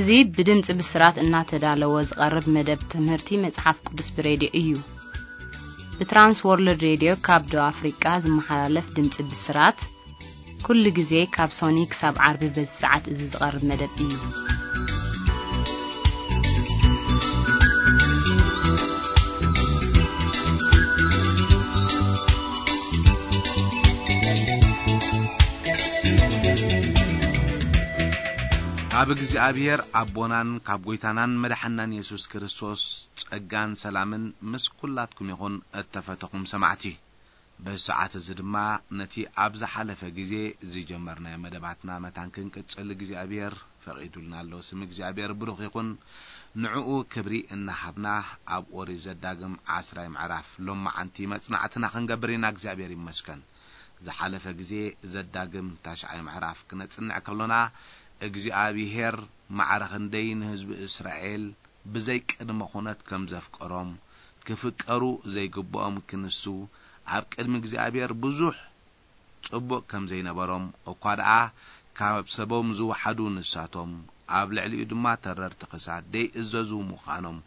እዚ ብድምጺ ብስራት እናተዳለወ ዝቐርብ መደብ ትምህርቲ መጽሓፍ ቅዱስ ብሬድዮ እዩ። ብትራንስ ወርልድ ሬድዮ ካብ ደቡብ ኣፍሪቃ ዝመሓላለፍ ድምጺ ብስራት፣ ኩሉ ግዜ ካብ ሶኒ ክሳብ ዓርቢ በዚ ሰዓት እዚ ዝቐርብ መደብ እዩ። ካብ እግዚኣብሔር ኣቦናን ካብ ጐይታናን መድሓናን የሱስ ክርስቶስ ጸጋን ሰላምን ምስ ኩላትኩም ይኹን፣ እተፈተኹም ሰማዕቲ። በዚ ሰዓት እዚ ድማ ነቲ ኣብ ዝሓለፈ ግዜ ዝጀመርናዮ መደባትና መታን ክንቅጽል እግዚኣብሔር ፈቒዱልና ኣሎ። ስም እግዚኣብሔር ብሩኽ ይኹን። ንዕኡ ክብሪ እናሃብና ኣብ ኦሪት ዘዳግም ዓስራይ ምዕራፍ ሎማዓንቲ መጽናዕትና ክንገብር ኢና። እግዚኣብሔር ይመስገን። ዝሓለፈ ግዜ ዘዳግም ታሽዓይ ምዕራፍ ክነጽንዕ ከሎና እግዚኣብሔር ማዕረ ክንደይ ንህዝቢ እስራኤል ብዘይ ቅድመ ኩነት ከም ዘፍቀሮም፣ ክፍቀሩ ዘይግብኦም ክንሱ፣ ኣብ ቅድሚ እግዚኣብሔር ብዙሕ ጽቡቕ ከም ዘይነበሮም፣ እኳ ደኣ ካብ ሰቦም ዝወሓዱ ንሳቶም፣ ኣብ ልዕሊኡ ድማ ተረርቲ ክሳድ ደይእዘዙ ምዃኖም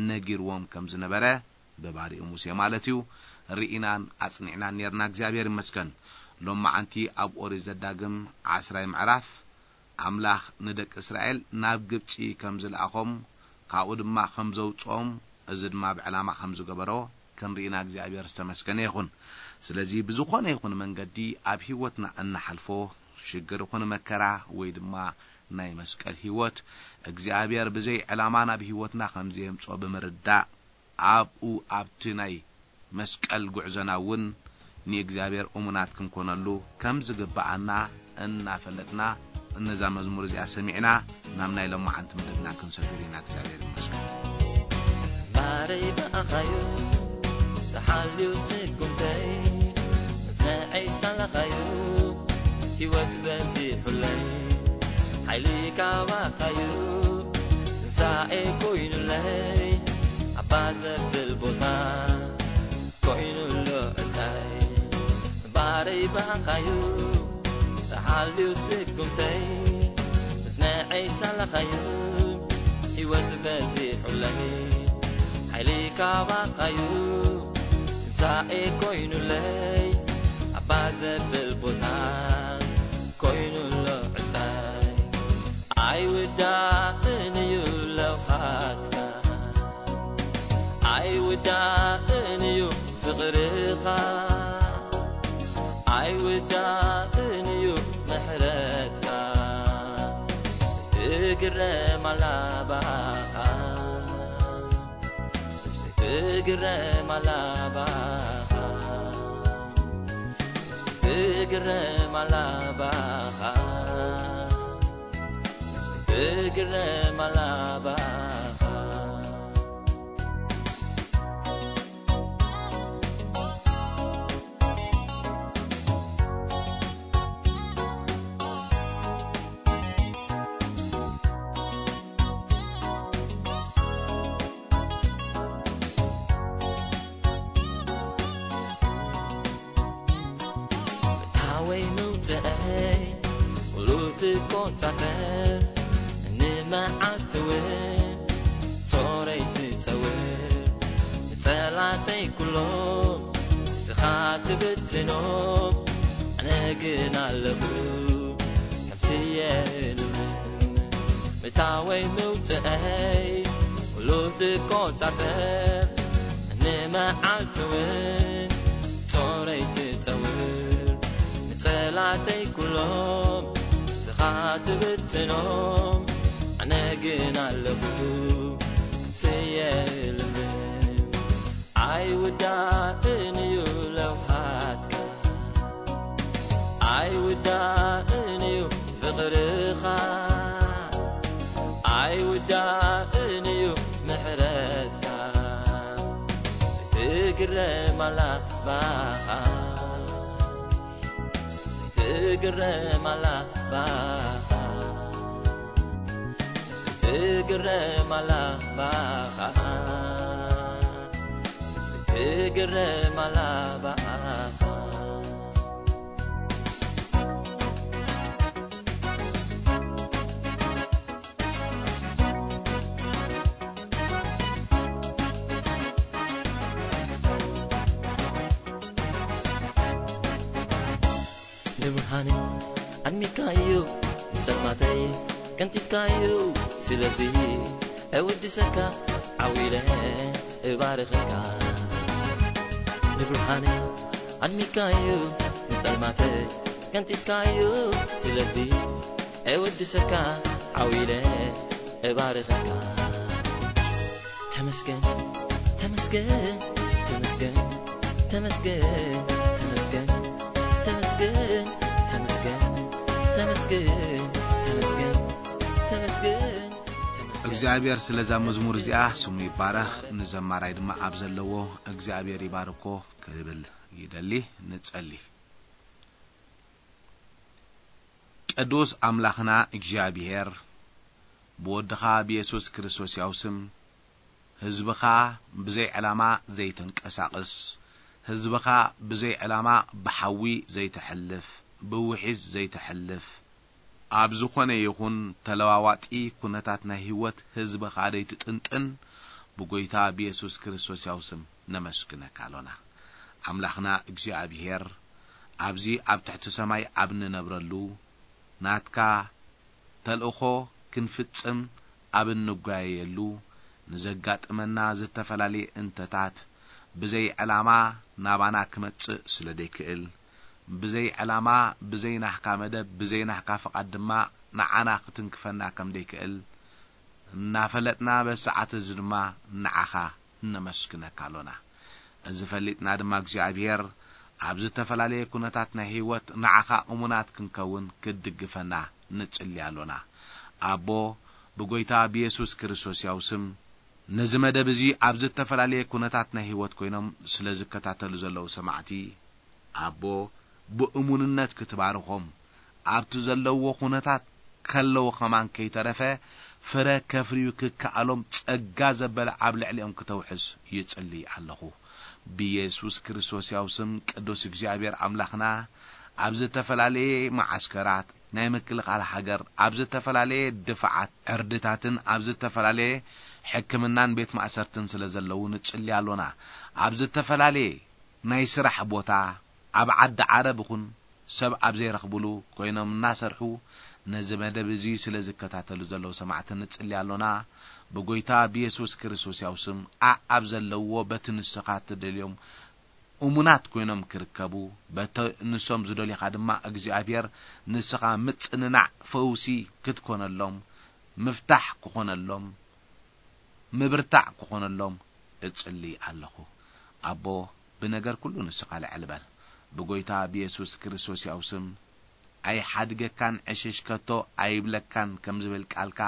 ነጊርዎም ከም ዝነበረ፣ ብባሪኡ ሙሴ ማለት እዩ፣ ርኢናን ኣጽኒዕናን ኔርና። እግዚኣብሔር ይመስገን። ሎማዓንቲ ኣብ ኦሪት ዘዳግም ዓስራይ ምዕራፍ፣ ኣምላኽ ንደቂ እስራኤል ናብ ግብጺ ከም ዝለኣኾም፣ ካብኡ ድማ ከም ዘውጽኦም፣ እዚ ድማ ብዕላማ ከም ዝገበሮ ክንርኢና እግዚኣብሔር ዝተመስገነ ይኹን። ስለዚ ብዝኾነ ይኹን መንገዲ ኣብ ህይወትና እንሓልፎ ሽግር ይኹን መከራ ወይ ድማ ናይ መስቀል ህይወት እግዚኣብሔር ብዘይ ዕላማ ናብ ህይወትና ከም ዘየምጽኦ ብምርዳእ ኣብኡ ኣብቲ ናይ መስቀል ጉዕዞና እውን ንእግዚኣብሔር እሙናት ክንኮነሉ ከም ዝግብኣና እናፈለጥና ነዛ መዝሙር እዚኣ ሰሚዕና ናብ ናይ ሎማዓንቲ መደብና ክንሰግር ኢና። እግዚኣብሔር ይመስገን። ባረይ ብኣኻዩ ተሓልዩ ስጉምተይ፣ መጽንዐይ ሳላኻዩ ህይወት በዚሑለይ፣ ሓይሊ ካባኻዩ ትንሳኤ ኮይኑለይ፣ ኣባ ዘብል ቦታ ኮይኑሎ ዕታይ። ባረይ ብኣኻዩ ተሓልዩ ስጉምተይ፣ መጽንዐይ ሳላኻዩ ህይወት በዚሑለይ፣ ሓይሊ ካባኻዩ ትንሳኤ ኮይኑለይ፣ ኣባ ዘብል ቦታ ኮይኑሎ ዕጻይ። ኣይውዳእን እዩ ለውሃትካ፣ ኣይውዳእን እዩ ፍቕርኻ፣ ኣይውዳእን እዩ ምሕረትካ። ትግረም ኣላ ባኻ፣ ትግረም ኣላ ባኻ፣ ትግረም ኣላ ባኻ፣ ትግረም ኣላ ባኻ። ምእታወይ መውፅኣይ ኩሉ ትቆፃፀር፣ ንመዓልቲ እውን ጾረይ ትፀውር። ንፀላእተይ ኩሎም ንስኻ ትብትኖም፣ ኣነ ግን ኣለኹ ከምስየ ልምልም። ምእታወይ መውፅኣይ ኩሉ ትቆፃፀር፣ ንመዓልቲ እውን ጾረይ ትፀውር። ንፀላእተይ ኩሎም ንስኻ ትብትኖም፣ ኣነ ግን ኣለኹ ስየ ልምልም። ኣይውዳእን እዩ ለውሃትካ፣ ኣይውዳእን እዩ ፍቕርኻ፣ ኣይውዳእን እዩ ምሕረትካ። ትግረም ኣላ ባኻ፣ ትግረም ኣላ ባኻ፣ ትግረም ኣላ ባኻ፣ ትግረም ኣላ ባኻ። ንብርሃነይ ኣድሚካዮ፣ ንጸልማተይ ቀንጢጥካዮ። ስለዚ እውድሰካ፣ ዓው ኢለ እባርኸካ። ንብርሃነይ ኣድሚካዮ፣ ንጸልማተይ ቀንጢጥካዮ። ስለዚ እውድሰካ፣ ዓው ኢለ እባርኸካ። ተመስገን፣ ተመስገን፣ ተመስገን፣ ተመስገን፣ ተመስገን፣ ተመስገን፣ ተመስገን፣ ተመስገን፣ ተመስገን፣ ተመስገን፣ ተመስገን። እግዚኣብሔር ስለዛ መዝሙር እዚኣ ስሙ ይባረኽ። ንዘማራይ ድማ ኣብ ዘለዎ እግዚኣብሔር ይባርኮ ክብል ይደሊ። ንጸሊ። ቅዱስ ኣምላኽና እግዚኣብሔር፣ ብወድኻ ብየሱስ ክርስቶስ ያው ስም፣ ህዝብኻ ብዘይ ዕላማ ዘይተንቀሳቕስ፣ ህዝብኻ ብዘይ ዕላማ ብሓዊ ዘይተሕልፍ፣ ብውሒዝ ዘይተሕልፍ፣ ኣብ ዝኾነ ይኹን ተለዋዋጢ ኩነታት ናይ ህይወት ህዝብኻ ዘይትጥንጥን፣ ብጎይታ ብየሱስ ክርስቶስ ያው ስም ነመስግነካ ኣሎና። ኣምላኽና እግዚኣብሔር፣ ኣብዚ ኣብ ትሕቲ ሰማይ ኣብ ንነብረሉ፣ ናትካ ተልእኾ ክንፍጽም ኣብ እንጓየየሉ፣ ንዘጋጥመና ዝተፈላለየ እንተታት ብዘይ ዕላማ ናባና ክመጽእ ስለ ዘይክእል፣ ብዘይ ዕላማ፣ ብዘይ ናህካ መደብ፣ ብዘይ ናህካ ፍቓድ ድማ ንዓና ክትንክፈና ከም ዘይክእል እናፈለጥና፣ በዚ ሰዓት እዚ ድማ ንዓኻ ነመስግነካ ኣሎና። እዚ ፈሊጥና ድማ እግዚኣብሔር፣ ኣብ ዝተፈላለየ ኩነታት ናይ ህይወት ንዓኻ እሙናት ክንከውን ክትድግፈና ንጽሊ ኣሎና። ኣቦ፣ ብጎይታ ብየሱስ ክርስቶስ ያው ስም፣ ነዚ መደብ እዚ ኣብ ዝተፈላለየ ኩነታት ናይ ህይወት ኮይኖም ስለ ዝከታተሉ ዘለዉ ሰማዕቲ፣ ኣቦ፣ ብእሙንነት ክትባርኾም፣ ኣብቲ ዘለውዎ ኩነታት ከለዉ ከማን ከይተረፈ ፍረ ከፍርዩ ክከኣሎም ጸጋ ዘበለ ኣብ ልዕሊኦም ክተውሕስ ይጽሊ ኣለኹ። ብየሱስ ክርስቶስ ያው ስም ቅዱስ እግዚኣብሔር ኣምላኽና፣ ኣብ ዝተፈላለየ መዓስከራት ናይ ምክልኻል ሃገር፣ ኣብ ዝተፈላለየ ድፋዓት ዕርድታትን ኣብ ዝተፈላለየ ሕክምናን ቤት ማእሰርትን ስለ ዘለዉ ንጽሊ ኣሎና። ኣብ ዝተፈላለየ ናይ ስራሕ ቦታ፣ ኣብ ዓዲ ዓረብ ይኹን ሰብ ኣብ ዘይረኽብሉ ኮይኖም እናሰርሑ ነዚ መደብ እዚ ስለ ዝከታተሉ ዘለዉ ሰማዕቲ ንጽሊ ኣሎና። ብጎይታ ብየሱስ ክርስቶስ ያው ስም፣ ኣኣብ ዘለውዎ በቲ ንስኻ ትደልዮም እሙናት ኮይኖም ክርከቡ፣ በቲ ንሶም ዝደልዩኻ ድማ እግዚኣብሔር ንስኻ ምጽንናዕ፣ ፈውሲ ክትኮነሎም፣ ምፍታሕ ክኾነሎም፣ ምብርታዕ ክኾነሎም እጽሊ ኣለኹ። ኣቦ፣ ብነገር ኩሉ ንስኻ ልዕል በል። ብጎይታ ብየሱስ ክርስቶስ ያው ስም፣ ኣይሓድገካን ዕሽሽ ከቶ ኣይብለካን ከም ዝብል ቃልካ፣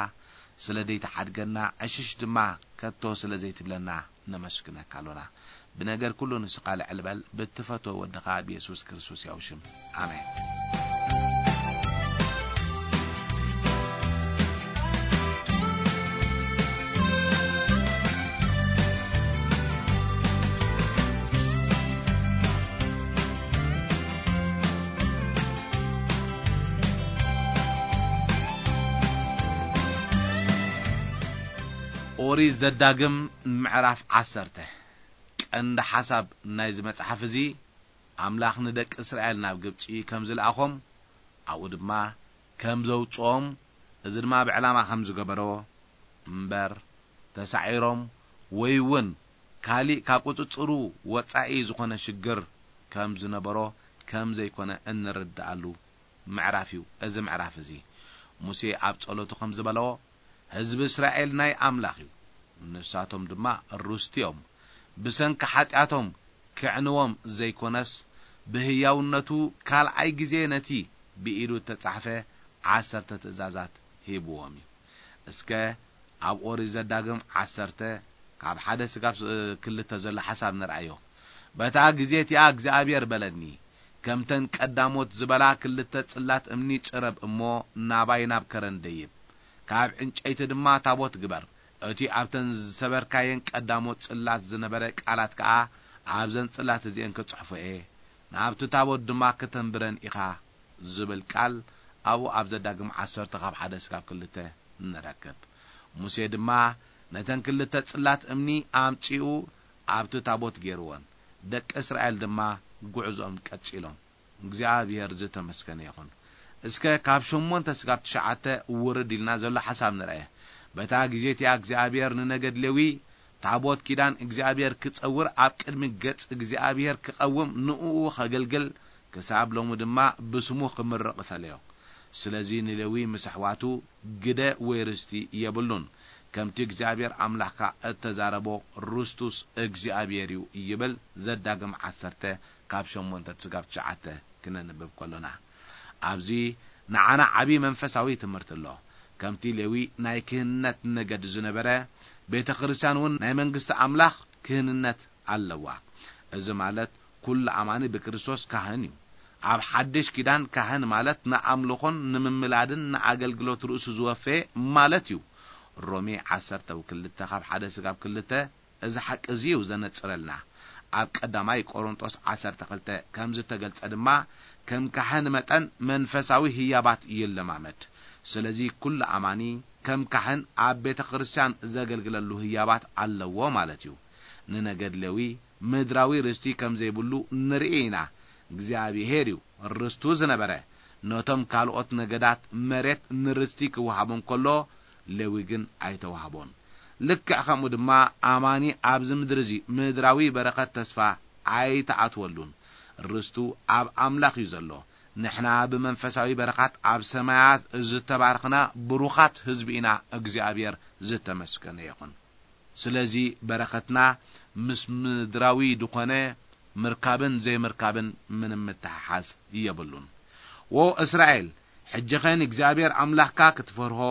ስለ ዘይትሓድገና ዕሽሽ ድማ ከቶ ስለ ዘይትብለና ነመስግነካ ኣሎና። ብነገር ኩሉ ንስኻ ልዕል በል፣ ብትፈትዎ ወድኻ ብየሱስ ክርስቶስ ያው ሽም። ኣሜን። ኦሪት ዘዳግም ምዕራፍ ዓሰርተ። ቀንዲ ሓሳብ ናይዚ መጽሓፍ እዚ፣ ኣምላኽ ንደቂ እስራኤል ናብ ግብጺ ከም ዝለኣኾም፣ ኣብኡ ድማ ከም ዘውጽኦም፣ እዚ ድማ ብዕላማ ከም ዝገበሮ እምበር፣ ተሳዒሮም ወይ እውን ካሊእ ካብ ቁጽጽሩ ወጻኢ ዝኾነ ሽግር ከም ዝነበሮ ከም ዘይኮነ እንርድኣሉ ምዕራፍ እዩ። እዚ ምዕራፍ እዚ ሙሴ ኣብ ጸሎቱ ከም ዝበሎ፣ ህዝቢ እስራኤል ናይ ኣምላኽ እዩ፣ ንሳቶም ድማ ርስቲ እዮም። ብሰንኪ ሓጢኣቶም ክዕንዎም ዘይኮነስ፣ ብህያውነቱ ካልኣይ ግዜ ነቲ ብኢዱ እተጻሕፈ ዓሰርተ ትእዛዛት ሂብዎም እዩ። እስከ ኣብ ኦሪት ዘዳግም ዓሰርተ ካብ ሓደ ስጋብ ክልተ ዘሎ ሓሳብ ንርኣዮ። በታ ግዜ እቲኣ እግዚኣብሔር በለኒ፣ ከምተን ቀዳሞት ዝበላ ክልተ ጽላት እምኒ ጽረብ እሞ ናባይ ናብ ከረን ደይብ። ካብ ዕንጨይቲ ድማ ታቦት ግበር። እቲ ኣብተን ዝሰበርካየን ቀዳሞት ጽላት ዝነበረ ቃላት ከኣ ኣብዘን ጽላት እዚኤን ክጽሕፎ እየ። ናብቲ ታቦት ድማ ከተንብረን ኢኻ ዝብል ቃል ኣብኡ ኣብ ዘዳግም ዓሰርተ ካብ ሓደ ስጋብ ክልተ ንረክብ። ሙሴ ድማ ነተን ክልተ ጽላት እምኒ ኣምጺኡ ኣብቲ ታቦት ገይርወን። ደቂ እስራኤል ድማ ጉዕዞኦም ቀጺሎም። እግዚኣብሔር ዝተመስገነ ይኹን። እስከ ካብ ሸሞንተ ስጋብ ትሽዓተ ውርድ ኢልና ዘሎ ሓሳብ ንርአ። በታ ግዜ እቲኣ እግዚኣብሔር ንነገድ ሌዊ፣ ታቦት ኪዳን እግዚኣብሔር ክጸውር፣ ኣብ ቅድሚ ገጽ እግዚኣብሔር ክቐውም፣ ንእኡ ኸገልግል፣ ክሳብ ሎሚ ድማ ብስሙ ክምርቕ እፈለዮ። ስለዚ ንሌዊ ምስ ኣሕዋቱ ግደ ወይ ርስቲ የብሉን። ከምቲ እግዚኣብሔር ኣምላኽካ እተዛረቦ ርስቱስ እግዚኣብሔር እዩ ይብል። ዘዳግም ዓሰርተ ካብ ሸሞንተ ስጋብ ትሽዓተ ክነንብብ ከሎና፣ ኣብዚ ንዓና ዓቢ መንፈሳዊ ትምህርቲ ኣሎ። ከምቲ ሌዊ ናይ ክህነት ነገድ ዝነበረ፣ ቤተ ክርስቲያን እውን ናይ መንግስቲ ኣምላኽ ክህንነት ኣለዋ። እዚ ማለት ኩሉ ኣማኒ ብክርስቶስ ካህን እዩ። ኣብ ሓድሽ ኪዳን ካህን ማለት ንኣምልኾን ንምምላድን ንኣገልግሎት ርእሱ ዝወፈየ ማለት እዩ። ሮሜ ዓሰርተ ክልተ ካብ ሓደ ስጋብ ክልተ እዚ ሓቂ እዚ እዩ ዘነጽረልና። ኣብ ቀዳማይ ቆሮንጦስ ዓሰርተ ክልተ ከም ዝተገልጸ ድማ ከም ካህን መጠን መንፈሳዊ ህያባት ይለማመድ። ስለዚ ኩሉ ኣማኒ ከም ካህን ኣብ ቤተ ክርስቲያን ዘገልግለሉ ህያባት ኣለዎ ማለት እዩ። ንነገድ ሌዊ ምድራዊ ርስቲ ከም ዘይብሉ ንርኢ ኢና። እግዚኣብሔር እዩ ርስቱ ዝነበረ። ነቶም ካልኦት ነገዳት መሬት ንርስቲ ክወሃቦም ከሎ፣ ሌዊ ግን ኣይተዋህቦን። ልክዕ ከምኡ ድማ ኣማኒ ኣብዚ ምድሪ እዚ ምድራዊ በረኸት ተስፋ ኣይተኣትወሉን። ርስቱ ኣብ ኣምላኽ እዩ ዘሎ። ንሕና ብመንፈሳዊ በረኻት ኣብ ሰማያት ዝተባረኽና ብሩኻት ህዝቢ ኢና። እግዚኣብሔር ዝተመስገነ ይኹን። ስለዚ በረኸትና ምስ ምድራዊ ድኾነ ምርካብን ዘይምርካብን ምንም ምትሕሓዝ የብሉን። ዎ እስራኤል፣ ሕጂ ኸ ንእግዚኣብሔር ኣምላኽካ ክትፈርሆ፣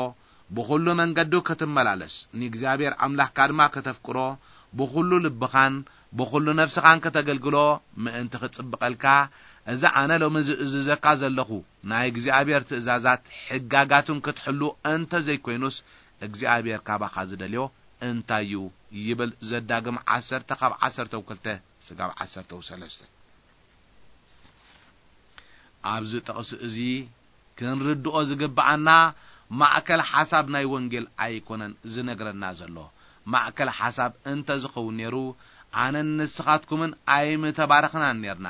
ብኹሉ መንገዱ ክትመላለስ፣ ንእግዚኣብሔር ኣምላኽካ ድማ ከተፍቅሮ፣ ብኹሉ ልብኻን ብኹሉ ነፍስኻን ከተገልግሎ ምእንቲ ክጽብቐልካ፣ እዚ ኣነ ሎሚ ዝእዝዘካ ዘለኹ ናይ እግዚኣብሔር ትእዛዛት ሕጋጋቱን ክትሕሉ እንተ ዘይኮይኑስ፣ እግዚኣብሔር ካባኻ ዝደልዮ እንታይ እዩ? ይብል ዘዳግም ዓሰርተ ካብ ዓሰርተ ክልተ ስጋብ ዓሰርተ ሰለስተ። ኣብዚ ጥቕሲ እዚ ክንርድኦ ዝግብኣና ማእከል ሓሳብ ናይ ወንጌል ኣይኮነን ዝነግረና ዘሎ። ማእከል ሓሳብ እንተ ዝኸውን ነይሩ፣ ኣነን ንስኻትኩምን ኣይምተባረኽናን ነርና።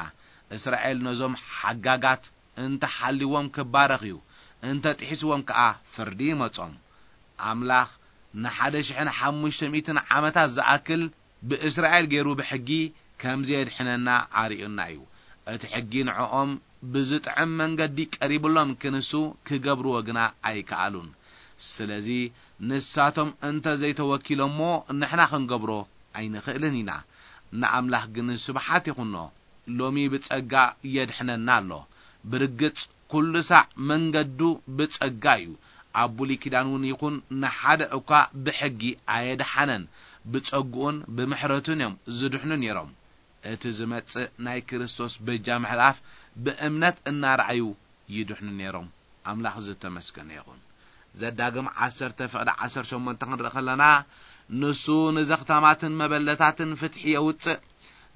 እስራኤል ነዞም ሓጋጋት እንተ ሓልዎም ክባረኽ እዩ፣ እንተ ጥሒስዎም ከኣ ፍርዲ ይመጾም። ኣምላኽ ንሓደ ሽሕን ሓሙሽተ ሚእትን ዓመታት ዝኣክል ብእስራኤል ገይሩ ብሕጊ ከም ዘየድሕነና ኣርእዩና እዩ። እቲ ሕጊ ንዕኦም ብዝጥዕም መንገዲ ቀሪብሎም ክንሱ ክገብርዎ ግና ኣይከኣሉን። ስለዚ ንሳቶም እንተ ዘይተወኪሎሞ ንሕና ክንገብሮ ኣይንኽእልን ኢና። ንኣምላኽ ግን ስብሓት ይኹኖ፣ ሎሚ ብጸጋ የድሕነና ኣሎ። ብርግጽ ኩሉ ሳዕ መንገዱ ብጸጋ እዩ። ኣብ ብሉይ ኪዳን እውን ይኹን ንሓደ እኳ ብሕጊ ኣየድሓነን። ብጸግኡን ብምሕረቱን እዮም ዝድሕኑ ነይሮም። እቲ ዝመጽእ ናይ ክርስቶስ በጃ ምሕላፍ ብእምነት እናረኣዩ ይድሕኑ ነይሮም። ኣምላኽ ዝተመስገነ ይኹን። ዘዳግም ዓሰርተ ፍቕዲ ዓሰርተ ሸሞንተ ክንርኢ ከለና፣ ንሱ ንዘኽታማትን መበለታትን ፍትሒ የውጽእ፣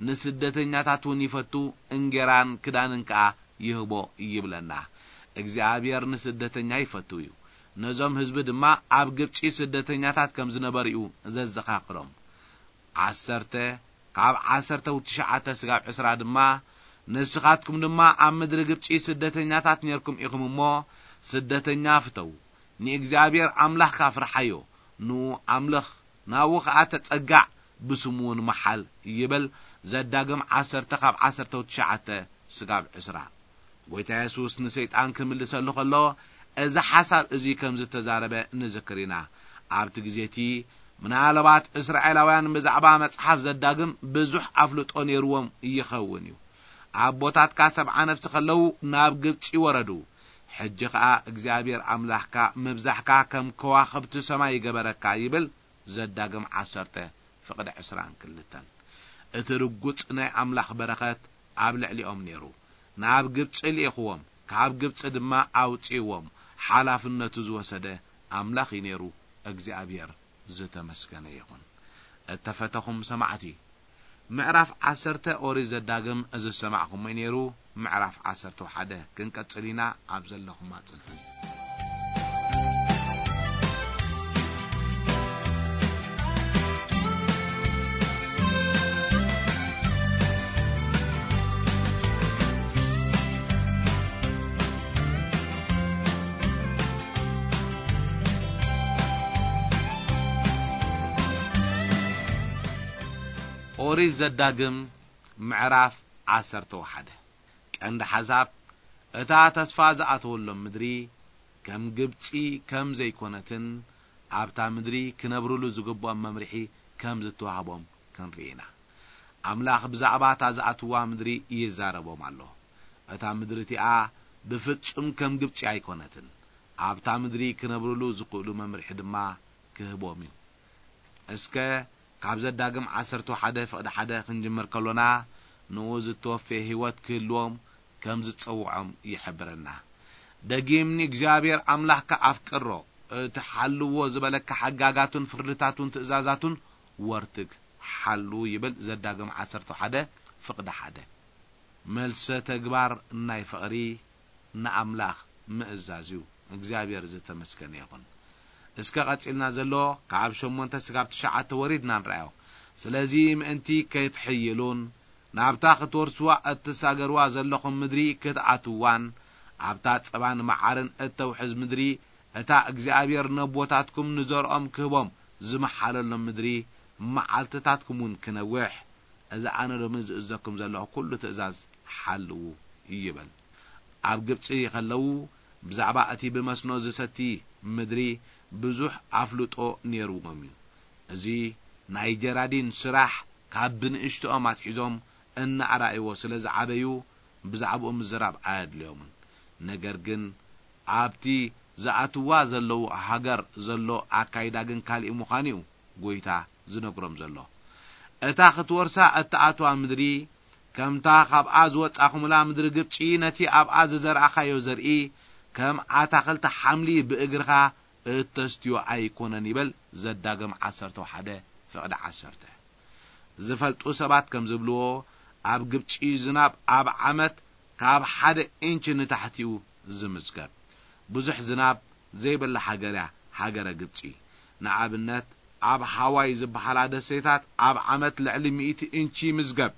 ንስደተኛታት እውን ይፈቱ፣ እንጌራን ክዳንን ከኣ ይህቦ ይብለና። እግዚኣብሔር ንስደተኛ ይፈቱ እዩ። ነዞም ህዝቢ ድማ ኣብ ግብጺ ስደተኛታት ከም ዝነበሩ እዩ ዘዘኻኽሮም። ዓሰርተ ካብ ዓሰርተ ትሽዓተ ስጋብ ዕስራ ድማ፣ ንስኻትኩም ድማ ኣብ ምድሪ ግብጺ ስደተኛታት ኔርኩም ኢኹም እሞ፣ ስደተኛ ፍተው፣ ንእግዚኣብሔር ኣምላኽካ ፍርሓዮ፣ ንኡ ኣምልኽ፣ ናብኡ ኸኣ ተጸጋዕ፣ ብስሙ እውን መሓል ይብል። ዘዳግም ዓሰርተ ካብ ዓሰርተ ትሽዓተ ስጋብ ዕስራ። ጐይታ የሱስ ንሰይጣን ክምልሰሉ ከሎ፣ እዚ ሓሳብ እዚ ከም ዝተዛረበ ንዝክር ኢና። ኣብቲ ግዜ እቲ፣ ምናልባት እስራኤላውያን ብዛዕባ መጽሓፍ ዘዳግም ብዙሕ ኣፍልጦ ነይርዎም ይኸውን እዩ። ኣቦታትካ ሰብዓ ነፍሲ ከለዉ ናብ ግብጺ ወረዱ። ሕጂ ኸኣ እግዚኣብሔር ኣምላኽካ ምብዛሕካ ከም ከዋኽብቲ ሰማይ ይገበረካ ይብል። ዘዳግም ዓሰርተ ፍቕዲ ዕስራን ክልተን። እቲ ርጉጽ ናይ ኣምላኽ በረኸት ኣብ ልዕሊኦም ነይሩ። ናብ ግብጺ ልኢኽዎም፣ ካብ ግብጺ ድማ ኣውጺእዎም። ሓላፍነቱ ዝወሰደ ኣምላኽ እዩ ነይሩ። እግዚኣብሔር ዝተመስገነ ይኹን። እተፈተኹም ሰማዕቲ፣ ምዕራፍ ዓሰርተ ኦሪት ዘዳግም ዝሰማዕኹሞ እዩ ነይሩ። ምዕራፍ ዓሰርተ ሓደ ክንቀጽል ኢና። ኣብ ዘለኹም ኣጽንሑኒ። ኦሪት ዘዳግም ምዕራፍ ዓሰርተ ሓደ። ቀንዲ ሓሳብ፣ እታ ተስፋ ዝኣተወሎም ምድሪ ከም ግብጺ ከም ዘይኮነትን ኣብታ ምድሪ ክነብርሉ ዝግብኦም መምርሒ ከም ዝተዋህቦም ክንርኢ ኢና። ኣምላኽ ብዛዕባ እታ ዝኣትዋ ምድሪ ይዛረቦም ኣሎ። እታ ምድሪ እቲኣ ብፍጹም ከም ግብጺ ኣይኮነትን። ኣብታ ምድሪ ክነብርሉ ዝኽእሉ መምርሒ ድማ ክህቦም እዩ። እስከ ካብ ዘዳግም ዓሰርተ ሓደ ፍቕዲ ሓደ ክንጅምር ከሎና፣ ንኡ ዝተወፍየ ህይወት ክህልዎም ከም ዝጸውዖም ይሕብረና። ደጊም ንእግዚኣብሔር ኣምላኽካ ኣፍቅሮ፣ እቲ ሓልዎ ዝበለካ ሕጋጋቱን ፍርድታቱን ትእዛዛቱን ወርትግ ሓሉ ይብል ዘዳግም ዓሰርተ ሓደ ፍቕዲ ሓደ። መልሰ ተግባር ናይ ፍቕሪ ንኣምላኽ ምእዛዝ እዩ። እግዚኣብሔር ዝተመስገነ ይኹን። እስከ ቀጺልና ዘሎ ካብ ሸሞንተ ስጋብ ትሽዓተ ወሪድና ንርኣዮ። ስለዚ ምእንቲ ከይትሕይሉን ናብታ ክትወርስዋ እትሳገርዋ ዘለኹም ምድሪ ክትኣትዋን ኣብታ ጸባን መዓርን እተውሕዝ ምድሪ እታ እግዚኣብሔር ነቦታትኩም ንዘርኦም ክህቦም ዝመሓለሎም ምድሪ መዓልትታትኩም እውን ክነውሕ እዚ ኣነ ሎሚ ዝእዘኩም ዘለኹ ኩሉ ትእዛዝ ሓልዉ ይበል። ኣብ ግብጺ ከለዉ ብዛዕባ እቲ ብመስኖ ዝሰቲ ምድሪ ብዙሕ ኣፍልጦ ነይርዎም እዩ። እዚ ናይ ጀራዲን ስራሕ ካብ ብንእሽትኦም ኣትሒዞም እናኣራእይዎ ስለ ዝዓበዩ ብዛዕባኡ ምዝራብ ኣየድልዮምን። ነገር ግን ኣብቲ ዝኣትዋ ዘለዉ ሃገር ዘሎ ኣካይዳ ግን ካሊእ ምዃኑ እዩ ጎይታ ዝነግሮም ዘሎ። እታ ክትወርሳ እትኣትዋ ምድሪ ከምታ ካብኣ ዝወጻኹምላ ምድሪ ግብጺ ነቲ ኣብኣ ዝዘርኣኻዮ ዘርኢ ከም ኣታኽልቲ ሓምሊ ብእግርኻ እተስትዮ ኣይኮነን ይበል ዘዳግም ዓሰርተ ሓደ ፍቕዲ ዓሰርተ። ዝፈልጡ ሰባት ከም ዝብልዎ ኣብ ግብጺ ዝናብ ኣብ ዓመት ካብ ሓደ ኢንች ንታሕቲኡ ዝምዝገብ። ብዙሕ ዝናብ ዘይብላ ሃገር እያ ሃገረ ግብጺ። ንኣብነት ኣብ ሃዋይ ዝበሃላ ደሴታት ኣብ ዓመት ልዕሊ ሚእቲ ኢንች ይምዝገብ።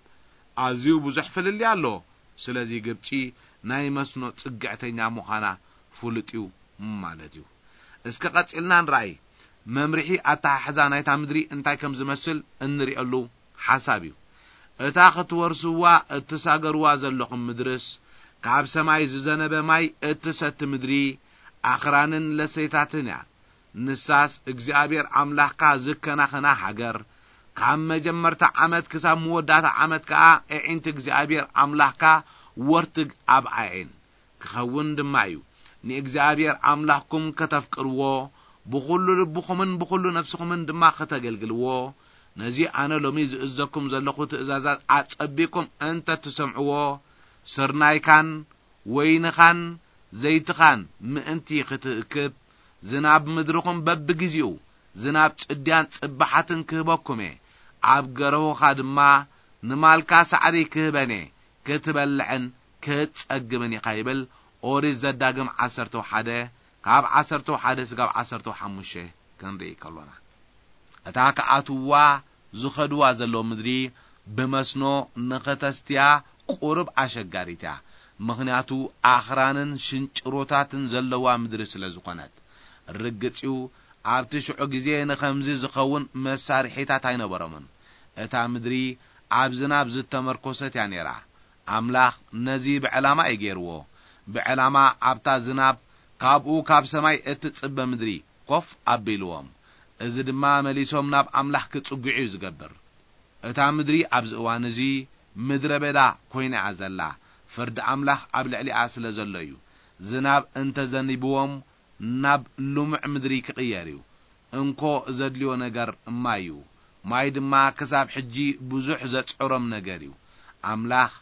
ኣዝዩ ብዙሕ ፍልልይ ኣሎ። ስለዚ ግብጺ ናይ መስኖ ጽግዕተኛ ምዃና ፍሉጥ እዩ ማለት እዩ። እስከ ቀጺልና ንርኣይ። መምርሒ ኣተሓሕዛ ናይታ ምድሪ እንታይ ከም ዝመስል እንርእየሉ ሓሳብ እዩ። እታ ክትወርስዋ እትሳገርዋ ዘለኹም ምድርስ ካብ ሰማይ ዝዘነበ ማይ እትሰቲ ምድሪ ኣኽራንን ለሰይታትን እያ። ንሳስ እግዚኣብሔር ኣምላኽካ ዝከናኸና ሃገር፣ ካብ መጀመርታ ዓመት ክሳብ መወዳእታ ዓመት ከኣ ኣዒንቲ እግዚኣብሔር ኣምላኽካ ወርትግ ኣብ ኣዒን ክኸውን ድማ እዩ። ንእግዚኣብሔር ኣምላኽኩም ከተፍቅርዎ፣ ብኹሉ ልብኹምን ብኹሉ ነፍስኹምን ድማ ከተገልግልዎ፣ ነዚ ኣነ ሎሚ ዝእዘኩም ዘለኹ ትእዛዛት ኣጸቢቕኩም እንተ ትሰምዕዎ፣ ስርናይካን ወይንኻን ዘይትኻን ምእንቲ ክትእክብ፣ ዝናብ ምድርኹም በብግዜኡ፣ ዝናብ ጽድያን ጽባሓትን ክህበኩም እየ። ኣብ ገረሁኻ ድማ ንማልካ ሳዕሪ ክህበን እየ፣ ክትበልዕን ክትጸግብን ኢኻ ይብል። ኦሪት ዘዳግም ዓሰርተ ሓደ ካብ ዓሰርተ ሓደ ስጋብ ዓሰርተ ሓሙሽተ ክንርኢ ከሎና፣ እታ ክኣትውዋ ዝኸድዋ ዘለዉ ምድሪ ብመስኖ ንኽተስትያ ቁሩብ ኣሸጋሪት እያ። ምኽንያቱ ኣኽራንን ሽንጭሮታትን ዘለዋ ምድሪ ስለ ዝኾነት። ርግጽ እዩ፣ ኣብቲ ሽዑ ግዜ ንኸምዚ ዝኸውን መሳርሒታት ኣይነበሮምን። እታ ምድሪ ኣብ ዝናብ ዝተመርኮሰት እያ ነይራ። ኣምላኽ ነዚ ብዕላማ እዩ ገይርዎ። ብዕላማ ኣብታ ዝናብ ካብኡ ካብ ሰማይ እትጽበ ምድሪ ኮፍ ኣቢልዎም። እዚ ድማ መሊሶም ናብ ኣምላኽ ክጽግዑ እዩ ዝገብር። እታ ምድሪ ኣብዚ እዋን እዚ ምድረ በዳ ኮይና እያ ዘላ። ፍርዲ ኣምላኽ ኣብ ልዕሊኣ ስለ ዘሎ እዩ። ዝናብ እንተ ዘኒብዎም ናብ ልሙዕ ምድሪ ክቕየር እዩ። እንኮ ዘድልዮ ነገር ማይ እዩ። ማይ ድማ ክሳብ ሕጂ ብዙሕ ዘጽዕሮም ነገር እዩ። ኣምላኽ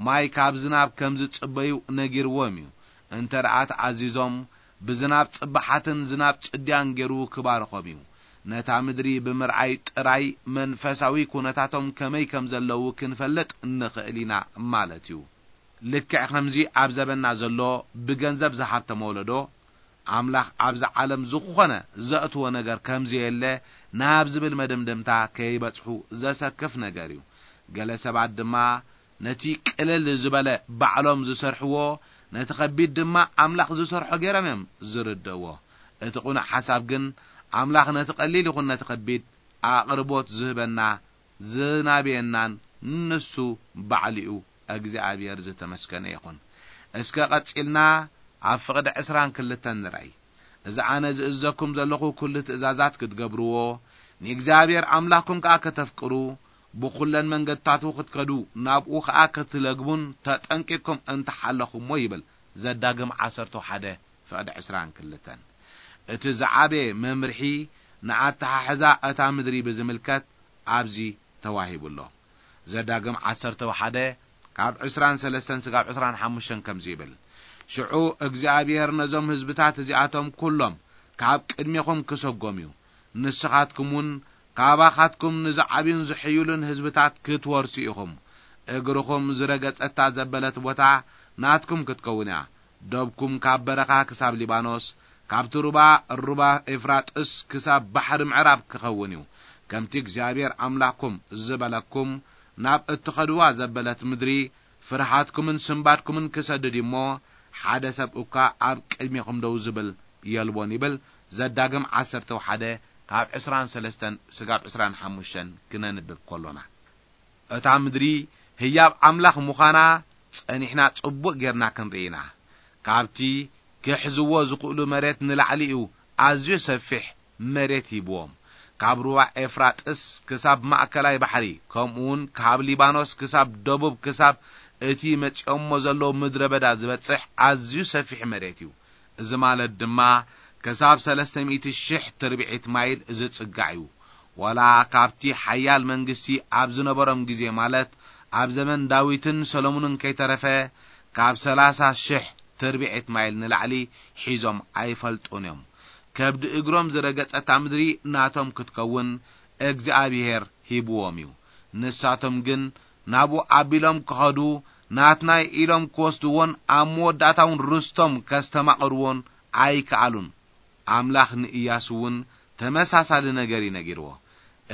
ማይ ካብ ዝናብ ከም ዝጽበዩ ነጊርዎም እዩ። እንተ ደኣ ተኣዚዞም፣ ብዝናብ ጽባሓትን ዝናብ ጽድያን ገይሩ ክባርኾም እዩ። ነታ ምድሪ ብምርኣይ ጥራይ መንፈሳዊ ኩነታቶም ከመይ ከም ዘለዉ ክንፈልጥ ንኽእል ኢና ማለት እዩ። ልክዕ ከምዚ ኣብ ዘበንና ዘሎ ብገንዘብ ዝሃብተመ ወለዶ፣ ኣምላኽ ኣብዚ ዓለም ዝኾነ ዘእትዎ ነገር ከም ዘየለ ናብ ዝብል መደምደምታ ከይበጽሑ ዘሰክፍ ነገር እዩ። ገለ ሰባት ድማ ነቲ ቅልል ዝበለ ባዕሎም ዝሰርሕዎ፣ ነቲ ከቢድ ድማ ኣምላኽ ዝሰርሖ ገይሮም እዮም ዝርድእዎ። እቲ ቅኑዕ ሓሳብ ግን ኣምላኽ ነቲ ቀሊል ይኹን ነቲ ከቢድ ኣቕርቦት ዝህበና ዝናብየናን ንሱ ባዕሊኡ እግዚኣብሔር ዝተመስገነ ይኹን። እስከ ቀጺልና ኣብ ፍቕዲ ዕስራን ክልተን ንርኣይ። እዚ ኣነ ዝእዘኩም ዘለኹ ኩሉ ትእዛዛት ክትገብርዎ፣ ንእግዚኣብሔር ኣምላኽኩም ከኣ ከተፍቅሩ፣ ብኹለን መንገድታቱ ክትከዱ፣ ናብኡ ከኣ ክትለግቡን ተጠንቂቅኩም እንተሓለኹሞ ይብል ዘዳግም ዓሰርተ ሓደ ፍቕዲ ዕስራን ክልተን። እቲ ዝዓበየ መምርሒ ንኣተሓሕዛ እታ ምድሪ ብዝምልከት ኣብዚ ተዋሂቡ ኣሎ። ዘዳግም ዓሰርተ ሓደ ካብ ዕስራን ሰለስተን ስጋብ ዕስራን ሓሙሽተን ከምዚ ይብል፣ ሽዑ እግዚኣብሔር ነዞም ህዝብታት እዚኣቶም ኩሎም ካብ ቅድሜኹም ክሰጎም እዩ። ንስኻትኩም እውን ካባኻትኩም ንዝዓብዩን ዝሕይሉን ህዝብታት ክትወርሱ ኢኹም። እግርኹም ዝረገጸታ ዘበለት ቦታ ናትኩም ክትከውን እያ። ደብኩም ካብ በረኻ ክሳብ ሊባኖስ፣ ካብቲ ሩባ፣ ሩባ ኤፍራጥስ ክሳብ ባሕሪ ምዕራብ ክኸውን እዩ። ከምቲ እግዚኣብሔር ኣምላኽኩም ዝበለኩም፣ ናብ እትኸድዋ ዘበለት ምድሪ ፍርሃትኩምን ስምባድኩምን ክሰድድ እዩ እሞ፣ ሓደ ሰብ እኳ ኣብ ቅድሜኹም ደው ዝብል የልቦን ይብል። ዘዳግም ዓሰርተ ሓደ ካብ ዕስራን ሰለስተን ስጋብ ዕስራን ሓሙሽተን ክነንብብ ከሎና። እታ ምድሪ ህያብ ኣምላኽ ምዃና ጸኒሕና ጽቡቕ ጌርና ክንርኢ ኢና። ካብቲ ክሕዝዎ ዝኽእሉ መሬት ንላዕሊ እዩ ኣዝዩ ሰፊሕ መሬት ሂብዎም። ካብ ሩባ ኤፍራጥስ ክሳብ ማእከላይ ባሕሪ፣ ከምኡውን ካብ ሊባኖስ ክሳብ ደቡብ፣ ክሳብ እቲ መጺኦሞ ዘለዉ ምድረ በዳ ዝበጽሕ ኣዝዩ ሰፊሕ መሬት እዩ። እዚ ማለት ድማ ክሳብ ሰለስተ ሚእቲ ሽሕ ትርብዒት ማይል ዝጽጋዕ እዩ። ዋላ ካብቲ ሓያል መንግስቲ ኣብ ዝነበሮም ግዜ፣ ማለት ኣብ ዘመን ዳዊትን ሰሎሞንን ከይተረፈ፣ ካብ ሰላሳ ሽሕ ትርብዒት ማይል ንላዕሊ ሒዞም ኣይፈልጡን እዮም። ከብዲ እግሮም ዝረገጸታ ምድሪ ናቶም ክትከውን እግዚኣብሔር ሂብዎም እዩ። ንሳቶም ግን ናብኡ ኣቢሎም ክኸዱ፣ ናትናይ ኢሎም ክወስድዎን ኣብ መወዳእታውን ርስቶም ከስተማቕርዎን ኣይከኣሉን። ኣምላኽ ንእያሱ እውን ተመሳሳሊ ነገር እዩ ነጊርዎ።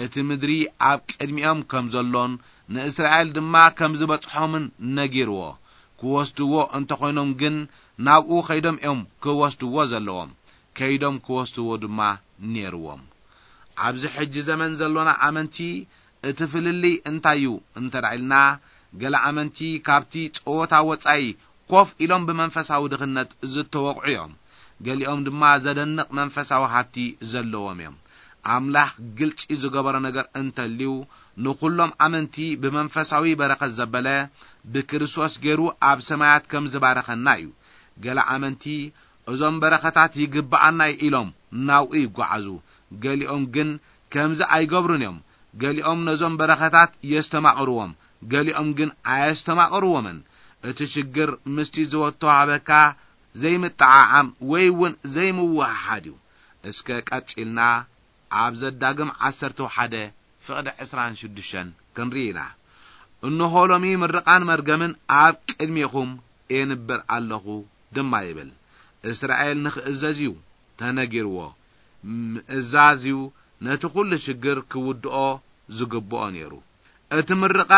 እቲ ምድሪ ኣብ ቅድሚኦም ከም ዘሎን ንእስራኤል ድማ ከም ዝበጽሖምን ነጊርዎ። ክወስድዎ እንተኾይኖም ግን ናብኡ ከይዶም እዮም ክወስድዎ ዘለዎም። ከይዶም ክወስድዎ ድማ ነይርዎም። ኣብዚ ሕጂ ዘመን ዘሎና ኣመንቲ እቲ ፍልልይ እንታይ እዩ እንተ ደኣ ኢልና፣ ገለ ኣመንቲ ካብቲ ጸወታ ወጻኢ ኮፍ ኢሎም ብመንፈሳዊ ድኽነት ዝተወቕዑ እዮም። ገሊኦም ድማ ዘደንቕ መንፈሳዊ ሃብቲ ዘለዎም እዮም። ኣምላኽ ግልጺ ዝገበሮ ነገር እንተልዩ፣ ንኹሎም ኣመንቲ ብመንፈሳዊ በረኸት ዘበለ፣ ብክርስቶስ ገይሩ ኣብ ሰማያት ከም ዝባረኸና እዩ። ገለ ኣመንቲ እዞም በረኸታት ይግብኣና እዩ ኢሎም ናብኡ ይጓዓዙ። ገሊኦም ግን ከምዚ ኣይገብሩን እዮም። ገሊኦም ነዞም በረኸታት የስተማቕርዎም፣ ገሊኦም ግን ኣየስተማቕርዎምን። እቲ ሽግር ምስቲ ዝወቶ ሃበካ ዘይምጠዓዓም ወይ እውን ዘይምውህሃድ እዩ። እስከ ቀጺልና ኣብ ዘዳግም ዓሰርተ ሓደ ፍቕዲ ዕስራን ሽዱሽተን ክንርኢ ኢና። እንሆ ሎሚ ምርቓን መርገምን ኣብ ቅድሜኹም ኤንብር ኣለኹ ድማ ይብል። እስራኤል ንኽእዘዝ እዩ ተነጊርዎ። ምእዛዝ እዩ ነቲ ኩሉ ሽግር ክውድኦ ዝግብኦ ነይሩ። እቲ ምርቓ፣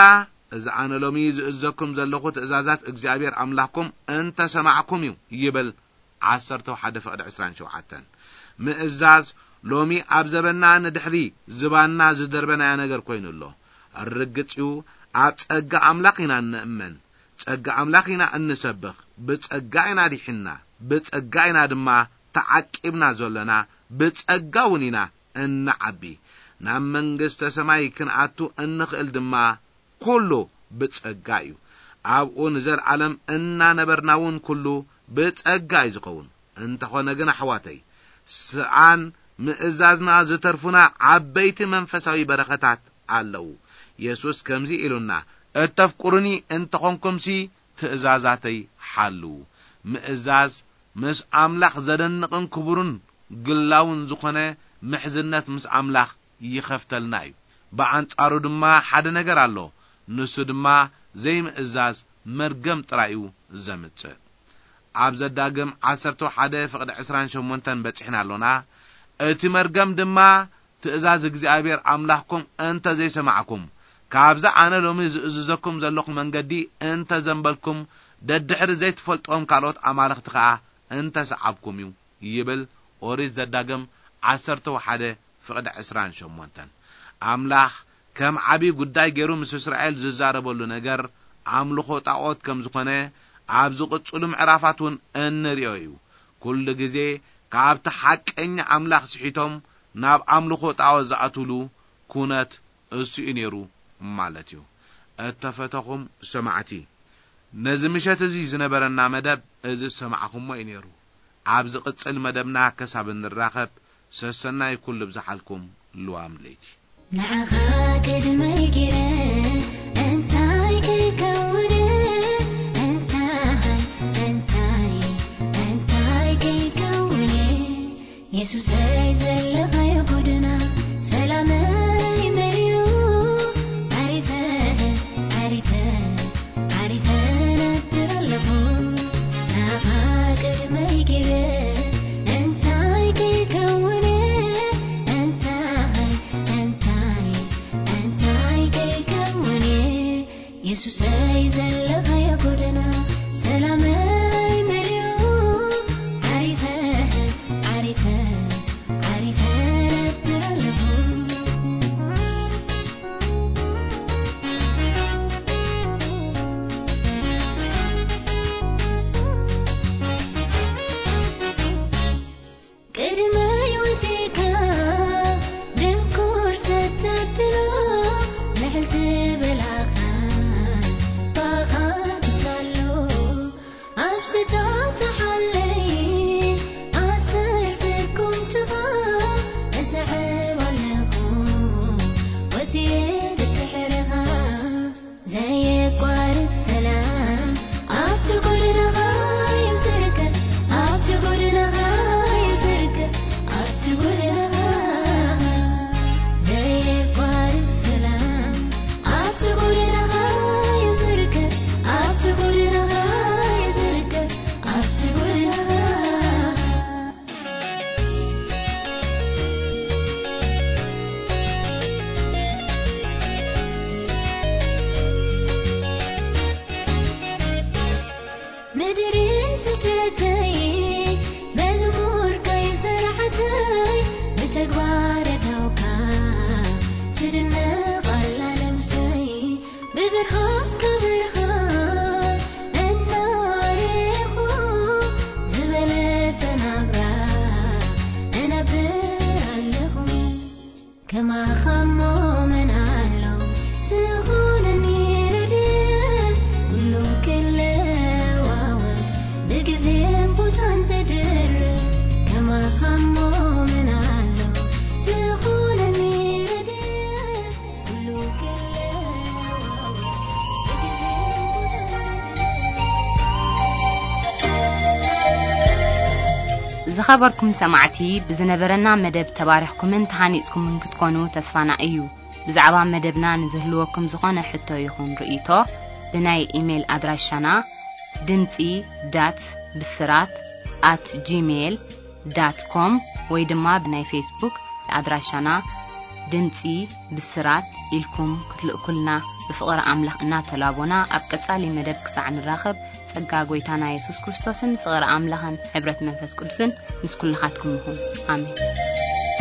እዚ ኣነ ሎሚ ዝእዘኩም ዘለኹ ትእዛዛት እግዚኣብሔር ኣምላኽኩም እንተ ሰማዕኩም እዩ ይብል። ዓሰርተ ሓደ ፍቕዲ ዕስራን ሸውዓተን። ምእዛዝ ሎሚ ኣብ ዘበንና ንድሕሪ ዝባንና ዝደርበናዮ ነገር ኮይኑ ኣሎ። ርግጽ እዩ፣ ኣብ ጸጋ ኣምላኽ ኢና እንእመን፣ ጸጋ ኣምላኽ ኢና እንሰብኽ፣ ብጸጋ ኢና ዲሒንና፣ ብጸጋ ኢና ድማ ተዓቂብና ዘሎና፣ ብጸጋ እውን ኢና እንዓቢ። ናብ መንግስተ ሰማይ ክንኣቱ እንኽእል ድማ ኩሉ ብጸጋ እዩ። ኣብኡ ንዘለኣለም እናነበርና እውን ኩሉ ብጸጋ እዩ ዝኸውን። እንተኾነ ግን ኣሕዋተይ፣ ስኣን ምእዛዝና ዝተርፉና ዓበይቲ መንፈሳዊ በረኸታት ኣለዉ። የሱስ ከምዚ ኢሉና፣ "እተፍቅሩኒ እንተኾንኩምሲ ትእዛዛተይ ሓልዉ።" ምእዛዝ ምስ ኣምላኽ ዘደንቕን ክቡርን ግላውን ዝኾነ ምሕዝነት ምስ ኣምላኽ ይኸፍተልና እዩ። ብኣንጻሩ ድማ ሓደ ነገር ኣሎ፣ ንሱ ድማ ዘይምእዛዝ መርገም ጥራይ እዩ ዘምጽእ። ኣብ ዘዳግም ዓሰርተ ሓደ ፍቕዲ ዕስራን ሸሞንተን በጺሕና ኣሎና። እቲ መርገም ድማ ትእዛዝ እግዚኣብሔር ኣምላኽኩም እንተ ዘይሰማዕኩም፣ ካብዛ ኣነ ሎሚ ዝእዝዘኩም ዘለኹ መንገዲ እንተ ዘንበልኩም፣ ደድሕሪ ዘይትፈልጥዎም ካልኦት ኣማልኽቲ ኸኣ እንተ ሰዓብኩም እዩ ይብል ኦሪት ዘዳግም ዓሰርተ ሓደ ፍቕዲ ዕስራን ሸሞንተን። ኣምላኽ ከም ዓቢ ጉዳይ ገይሩ ምስ እስራኤል ዝዛረበሉ ነገር ኣምልኾ ጣዖት ከም ዝኾነ ኣብ ዝቕጽሉ ምዕራፋት እውን እንርእዮ እዩ። ኩሉ ግዜ ካብቲ ሓቀኛ ኣምላኽ ስሒቶም ናብ ኣምልኾ ጣዖት ዝኣትውሉ ኩነት እሱ እዩ ነይሩ ማለት እዩ። እተፈተኹም ሰማዕቲ፣ ነዚ ምሸት እዚ ዝነበረና መደብ እዚ ዝሰማዕኹሞ እዩ ነይሩ። ኣብ ዝቕጽል መደብና ክሳብ እንራኸብ፣ ሰሰናይ ኩሉ ብዝሓልኩም ልዋም ለይቲ። ንዓኻ ቅድመይ ገይረ እንታይ ከይከውን፣ እንታይ፣ እንታይ፣ እንታይ ከይከውን፣ የሱሰይ ዘለኻዮ ጎደና ሰላመይ መሊኡ፣ ዓሪፈ፣ ዓሪፈ፣ ዓሪፈ ነብር ኣለኹ። ንዓኻ ቅድመይ ገይረ እንታይ ከይከውን፣ እንታይ፣ እንታይ፣ እንታይ ከይከውን፣ የሱሰይ ዘለኻዮ ጎደና ሰላመይ መሊኡ፣ ዓሪፈ፣ ዓሪፈ፣ ዓሪፈ ነብር ኣለኹ። ቅድመይ ወጺእካ ድንኩር ሰተብሎ፣ ልዕል ዝበላኻ ባኻ ክሳሎ፣ ኣብ ስታ ተሓለይ ኣሰር ስጉምትኻ እስዕብ ኣለኹ፣ ወጺኤ ድድሕርኻ። ዘየቋርጽ ሰላም ኣብቲ ጎደናኻ እዩ ዝርከብ፣ ኣብቲ ጎደናኻ እዩ ዝርከብ፣ ኣብቲ ጎደናኻ። ዘየቋርጽ ሰላም ኣብቲ ጎደናኻ እዩ ዝርከብ፣ ኣብቲ ጎደናኻ እዩ ዝርከብ፣ ኣብቲ ጎደናኻ። ምድሪ ስደተይ መዝሙርካዩ ስራሕተይ ብተግባር ኣእታውካ ትድነቕ ኣላ ነብሰይ። ብብርሃንካ ብርሃን እናረኹ ዝበለጸ ናብራ እነብር ኣለኹ። ከማኻ እሞ መን ኣሎ ዝኾነኒ ረድኤት፣ ኩሉ ክለዋወጥ ብግዜን ቦታን ዘድርት። ከማኻ እሞ መን ኣሎ ዝኾነኒ ረድኤት፣ ኩሉ ክለዋወጥ ብግዜን ቦታን ዘድርት። ዝኸበርኩም ሰማዕቲ፣ ብዝነበረና መደብ ተባሪኽኩምን ተሃኒጽኩምን ክትኮኑ ተስፋና እዩ። ብዛዕባ መደብና ንዝህልወኩም ዝኾነ ሕቶ ይኹን ርእይቶ፣ ብናይ ኢሜይል ኣድራሻና ድምጺ ዳት ብስራት ኣት ጂሜይል ዳት ኮም ወይ ድማ ብናይ ፌስቡክ ኣድራሻና ድምጺ ብስራት ኢልኩም ክትልእኩልና ብፍቕሪ ኣምላኽ እናተላቦና፣ ኣብ ቀጻሊ መደብ ክሳዕ ንራኸብ፣ ጸጋ ጐይታና የሱስ ክርስቶስን ፍቕሪ ኣምላኽን ሕብረት መንፈስ ቅዱስን ምስ ኩልኻትኩም ይኹን። ኣሜን።